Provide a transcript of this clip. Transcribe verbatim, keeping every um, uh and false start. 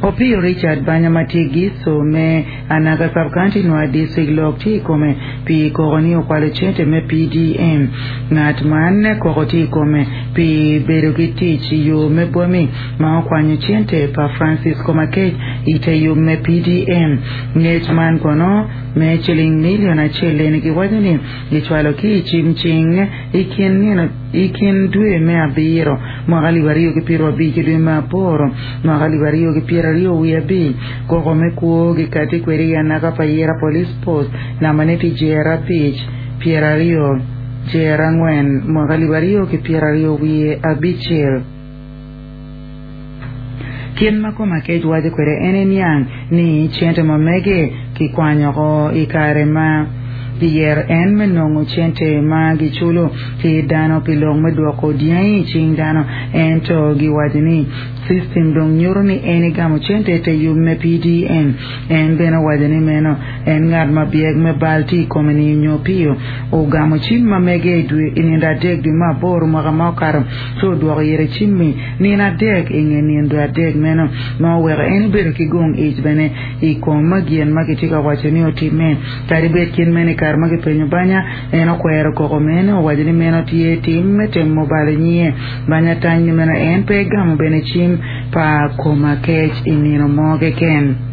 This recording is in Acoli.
Opio Richard Banya ma tye giso me Anaka Sub-County Nwa District lok tye i kome pi koko ni okwalo cente me P D M. Ngat man koko tye i kome pi bedo ki tic i yo me bwami ma okwanyo cente pa Francis Komakech i te yub me P D M. Ngec man kono me ciling milion acel eni giwaco ni gicwalo ki i cim cing i kin nino i kin dwe me abiro mwaka alip aryo ki pyero abic ki dwe me aboro mwaka alip aryo ki pyero aryo wiye abic. Koko me kwo gikati kwede i Anaka Payira Police Post nambane tye jer abic pyero aryo jer angwen mwaka alip aryo ki pyero aryo wiye abicel. Kit ma Komakech waco kwede en eniang ni cente ma mege kikwanyoko i kare ma giyero en me nongo cente ma giculo ki dano pi lok me dwoko dyangi i cing dano, ento giwaco ni system dong nyuto ni en egamo cente te yub me P D M. En bene owaco ni meno en ngat ma byek me bal tye i kome ni nyo Opio ogamo cim ma mege i nindo adek dwe me aboro mwaka ma okato ci odwoko ire cimmi nino adek i nge nindo adek meno ma oweko en ebedo ki gong ic bene i kom gin ma kitye ka waco ni otimme. Kadi bed kit meno, i kare ma kipenyo Banya, en okwero koko meno, owaco ni meno tye tim me temo balo nyinge. Banya tany ni meno en pe egamo bene cim pa Komakech i nino mo keken.